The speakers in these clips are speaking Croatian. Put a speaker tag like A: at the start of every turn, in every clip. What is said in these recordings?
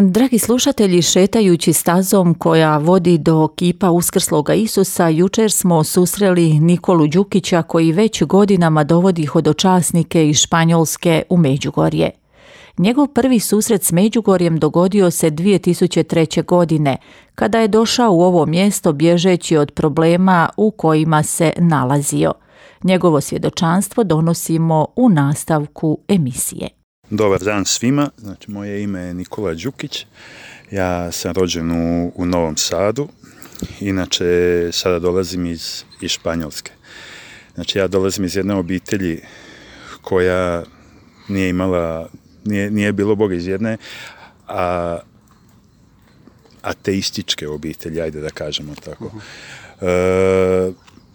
A: Dragi slušatelji, šetajući stazom koja vodi do kipa uskrsloga Isusa, jučer smo susreli Nikolu Đukića koji već godinama dovodi hodočasnike iz Španjolske u Međugorje. Njegov prvi susret s Međugorjem dogodio se 2003. godine, kada je došao u ovo mjesto bježeći od problema u kojima se nalazio. Njegovo svjedočanstvo donosimo u nastavku emisije.
B: Dobar dan svima, znači moje ime je Nikola Đukić, ja sam rođen u Novom Sadu, inače sada dolazim iz Španjolske. Znači ja dolazim iz jedne obitelji koja nije bilo Boga, iz jedne ateističke obitelji, ajde da kažemo tako.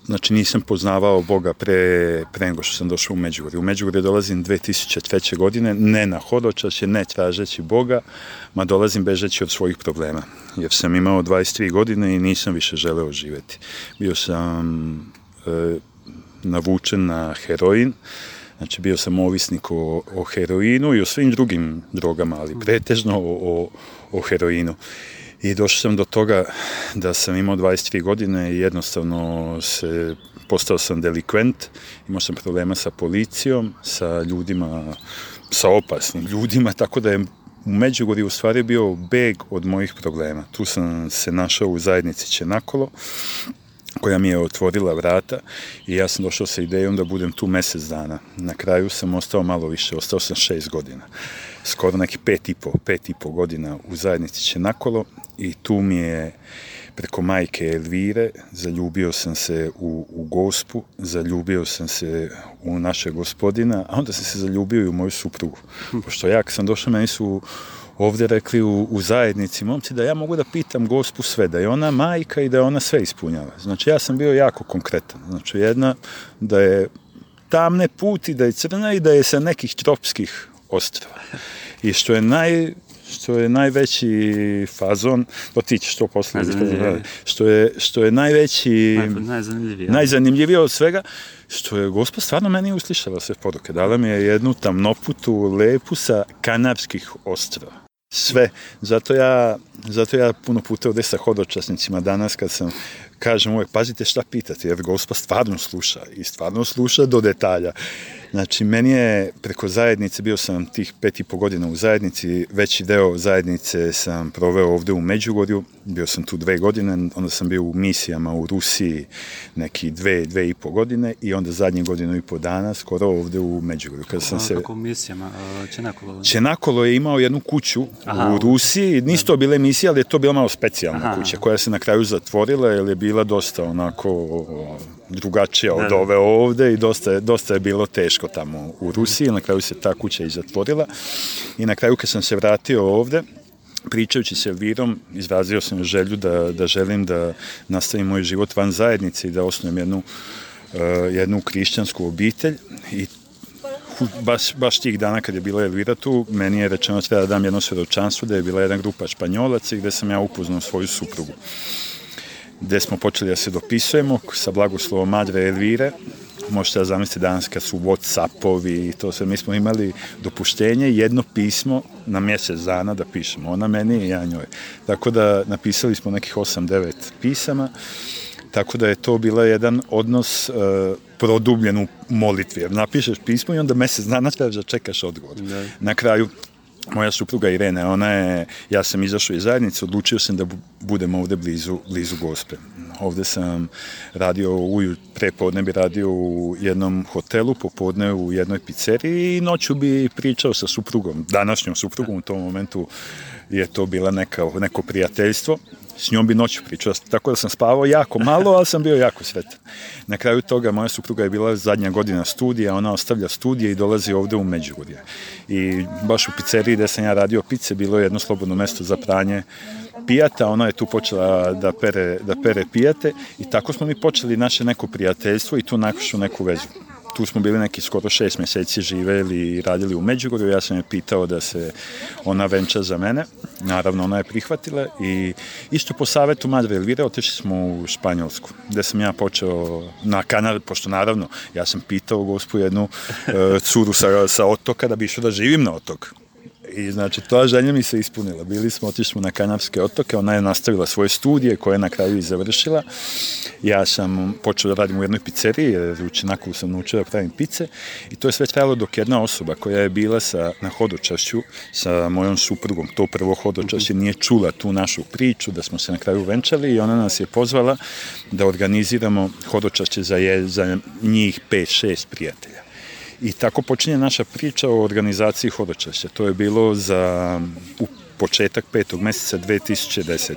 B: Znači nisam poznavao Boga pre nego što sam došao u Međugorje. U Međugorje dolazim 2003. godine, ne na hodočašće, ne tražeći Boga, ma dolazim bežeći od svojih problema. Jer sam imao 23 godine i nisam više želeo živjeti. Bio sam navučen na heroin, znači bio sam ovisnik o heroinu i o svim drugim drogama, ali pretežno o heroinu. I došao sam do toga da sam imao 23 godine i jednostavno postao sam delikvent, imao sam problema sa policijom, sa ljudima, sa opasnim ljudima, tako da je u Međugorju u stvari bio beg od mojih problema. Tu sam se našao u zajednici Čenakolo, koja mi je otvorila vrata i ja sam došao sa idejom da budem tu mjesec dana. Na kraju sam ostao malo više, ostao sam 6 godina. Skoro neki 5,5 godina u zajednici Čenakolo i tu mi je preko majke Elvire zaljubio sam se u Gospu, zaljubio sam se u našeg Gospodina, a onda sam se zaljubio i u moju suprugu. Pošto ja kad sam došao, meni su ovdje rekli u zajednici momci da ja mogu da pitam Gospu sve, da je ona majka i da je ona sve ispunjava. Znači ja sam bio jako konkretan. Znači jedna da je tamne put i da je crna i da je sa nekih tropskih ostrva. I što je najveći fazon, to ti ćeš to poslije, što je najzanimljivije od svega, što je Gospa stvarno meni uslišala sve poruke. Dala mi je jednu tamnoputu lepu sa Kanarskih ostrva. Sve. Zato ja puno puta ovdje sa hodočasnicima danas kad sam kažem uvijek, pazite šta pitati, jer Gospa stvarno sluša i stvarno sluša do detalja. Znači, meni je preko zajednice, bio sam tih 5,5 godina u zajednici, veći deo zajednice sam proveo ovdje u Međugorju, bio sam tu 2 godine, onda sam bio u misijama u Rusiji neki 2,5 godine i onda zadnje 1,5 dana skoro ovdje u Međugorju.
C: Kako misijama?
B: Čenakolo je imao jednu kuću u Rusiji, nisu to bile misije, ali je to bila malo specijalna kuća koja se na kraju zatvorila jer je bila dosta onako drugačija od ove ovdje i dosta je bilo teško tamo u Rusiji, na kraju se ta kuća i zatvorila i na kraju kad sam se vratio ovdje, pričajući s Elvirom, izrazio sam želju da želim da nastavim moj život van zajednice i da osnujem jednu hrišćansku obitelj i baš tih dana kad je bila Elvira tu, meni je rečeno treba da dam jedno svjedočanstvo da je bila jedna grupa Španjolaca i gdje sam ja upoznao svoju suprugu. Gdje smo počeli da se dopisujemo sa blagoslovom Madre Elvire. Možete da zamisliti danas kad su Whatsappovi i to sve. Mi smo imali dopuštenje, jedno pismo na mjesec dana da pišemo. Ona meni i ja njoj. Tako da napisali smo nekih 8-9 pisama. Tako da je to bila jedan odnos produbljen u molitvi. Jer napišeš pismo i onda mjesec dana trebaš da čekaš odgovor. Na kraju moja supruga Irene, ja sam izašao iz zajednice, odlučio sam da budem ovdje blizu Gospe. Ovdje sam radio, prepodne bi radio u jednom hotelu, popodne u jednoj pizzeriji i noću bi pričao sa suprugom, današnjom suprugom, u tom momentu je to bila neko prijateljstvo. S njom bi noću pričao, tako da sam spavao jako malo, ali sam bio jako sretan. Na kraju toga moja supruga je bila zadnja godina studija, ona ostavlja studije i dolazi ovdje u Međugorje. I baš u pizzeriji gdje sam ja radio pice, bilo je jedno slobodno mjesto za pranje pijata, ona je tu počela da pere pijate i tako smo mi počeli naše neko prijateljstvo i tu našu neku vezu. Tu smo bili neki skoro 6 mjeseci živjeli i radili u Međugorju. Ja sam je pitao da se ona venča za mene. Naravno, ona je prihvatila i isto po savjetu Madre Elvire otišli smo u Španjolsku, gdje sam ja počeo na Kanari, pošto naravno ja sam pitao Gospu jednu curu sa otoka da bi išao da živim na otok. I znači, ta želja mi se ispunila. Otišli smo na Kanarske otoke, ona je nastavila svoje studije koje je na kraju i završila. Ja sam počeo da radim u jednoj pizzeriji, jer u Činaku sam naučio da pravim pice i to je sve trajalo dok jedna osoba koja je bila na hodočašću sa mojom suprugom, to prvo hodočašće, nije čula tu našu priču, da smo se na kraju venčali i ona nas je pozvala da organiziramo hodočašće za njih 5-6 prijatelja. I tako počinje naša priča o organizaciji hodočašća. To je bilo u početak 5. mjeseca 2010.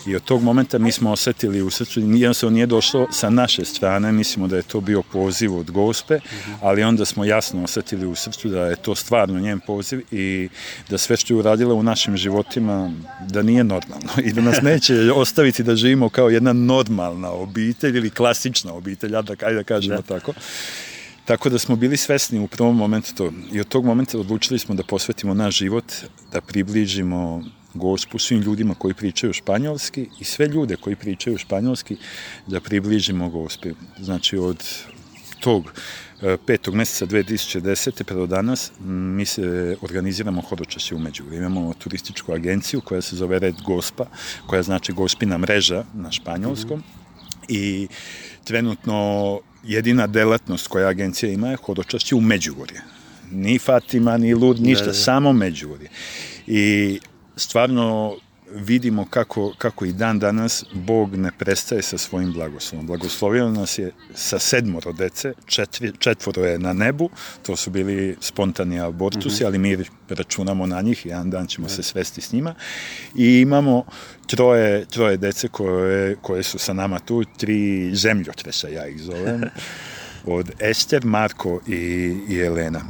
B: I od tog momenta mi smo osjetili u srcu, jednostavno nije došlo sa naše strane, mislimo da je to bio poziv od Gospe, ali onda smo jasno osjetili u srcu da je to stvarno njen poziv i da sve što je uradila u našim životima, da nije normalno i da nas neće ostaviti da živimo kao jedna normalna obitelj ili klasična obitelj, ajde da kažemo tako. Tako da smo bili svesni u prvom momentu to. I od tog momenta odlučili smo da posvetimo naš život, da približimo Gospu svim ljudima koji pričaju španjolski i sve ljude koji pričaju španjolski da približimo Gospi. Znači od tog 5. mjeseca 2010. pa do danas mi se organiziramo hodočašće u Međugorju. Imamo turističku agenciju koja se zove Red Gospa, koja znači Gospina mreža na španjolskom i trenutno jedina delatnost koja agencija ima je hodočašće u Međugorje. Ni Fatima, ni Lud, ništa, samo Međugorje. I stvarno vidimo kako i dan danas Bog ne prestaje sa svojim blagoslovom. Blagoslovio nas je sa 7 dece, 4 je na nebu, to su bili spontani abortusi, ali mi računamo na njih, jedan dan ćemo se svesti s njima. I imamo troje dece koje su sa nama tu, 3 zemljotresa, ja ih zovem, od Ester, Marko i Elena.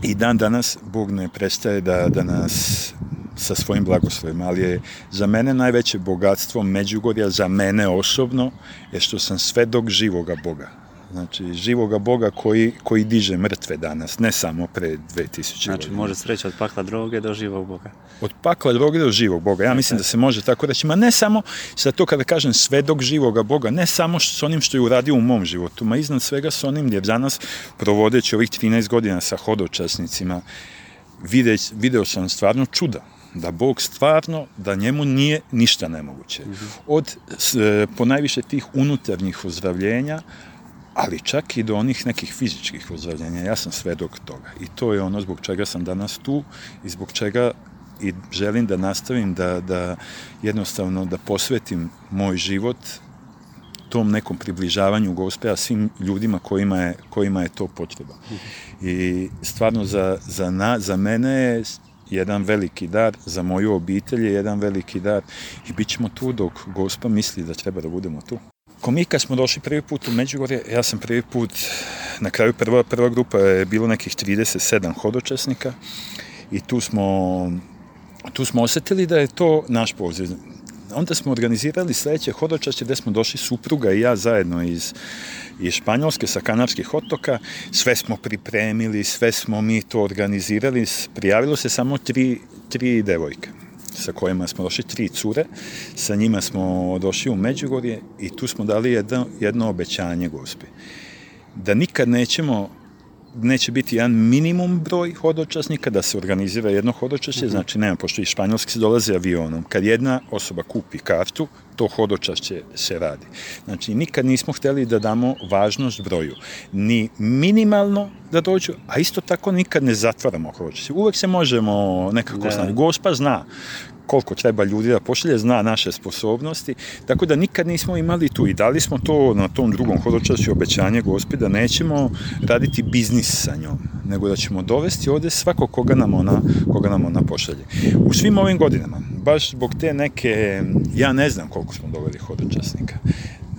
B: I dan danas Bog ne prestaje da nas sa svojim blagoslovima, ali je za mene najveće bogatstvo Međugorja, za mene osobno, je što sam svedok živoga Boga. Znači, živoga Boga koji diže mrtve danas, ne samo pre 2000 godina.
C: Znači, može sreća od pakla droge do živog Boga.
B: Od pakla droge do živog Boga. Ja mislim da se može tako reći. Ma ne samo, sad to kada kažem svedok živoga Boga, ne samo s onim što je uradio u mom životu, ma iznad svega s onim gdje danas, provodeći ovih 13 godina sa hodočasnicima, video sam stvarno čuda. Da Bog stvarno, da njemu nije ništa nemoguće. Od ponajviše tih unutarnjih ozdravljenja, ali čak i do onih nekih fizičkih ozdravljenja. Ja sam svedok toga. I to je ono zbog čega sam danas tu i zbog čega i želim da nastavim da jednostavno da posvetim moj život tom nekom približavanju Gospe, a svim ljudima kojima je to potreba. I stvarno za mene je jedan veliki dar, za moju obitelj je jedan veliki dar i bit ćemo tu dok Gospa misli da treba da budemo tu. Mi kad smo došli prvi put u Međugorje, ja sam prvi put, na kraju prva grupa je bilo nekih 37 hodočasnika i tu smo osjetili da je to naš poziv. Onda smo organizirali sljedeće hodočašće gdje smo došli supruga i ja zajedno iz Španjolske sa Kanarskih otoka. Sve smo pripremili, sve smo mi to organizirali. Prijavilo se samo tri devojke sa kojima smo došli, 3 cure. Sa njima smo došli u Međugorje i tu smo dali jedno obećanje Gospi. Da nikad neće biti jedan minimum broj hodočasnika, da se organizira jedno hodočašće, znači nema, pošto iz Španjolske se dolazi avionom. Kad jedna osoba kupi kartu, to hodočašće se radi. Znači, nikad nismo htjeli da damo važnost broju. Ni minimalno da dođu, a isto tako nikad ne zatvaramo hodočašće. Uvijek se možemo nekako znati. Gospa zna koliko treba ljudi da pošalje, zna naše sposobnosti, tako da nikad nismo imali tu i dali smo to na tom drugom hodočašću obećanje Gospi da nećemo raditi biznis sa njom, nego da ćemo dovesti ovdje svakog koga nam ona pošalje. U svim ovim godinama, baš zbog te neke, ja ne znam koliko smo doveli hodočasnika,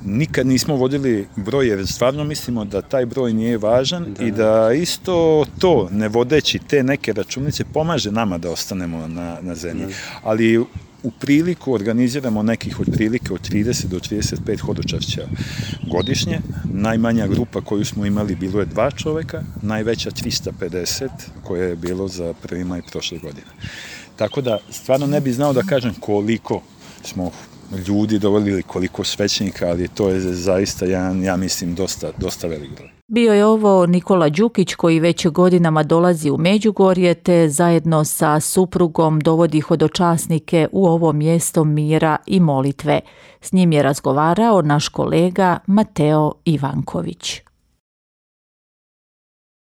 B: nikad nismo vodili broj jer stvarno mislimo da taj broj nije važan i da isto to, ne vodeći te neke računice, pomaže nama da ostanemo na zemlji. Ali u priliku organiziramo nekih otprilike od 30 do 35 hodočašća godišnje. Najmanja grupa koju smo imali bilo je 2 čovjeka, najveća 350 koje je bilo za 1. maj prošle godine. Tako da stvarno ne bi znao da kažem koliko smo ljudi dovoljili, koliko svećenika, ali to je zaista jedan, ja mislim, dosta velik broj.
A: Bio je ovo Nikola Đukić koji već godinama dolazi u Međugorje te zajedno sa suprugom dovodi hodočasnike u ovo mjesto mira i molitve. S njim je razgovarao naš kolega Mateo Ivanković.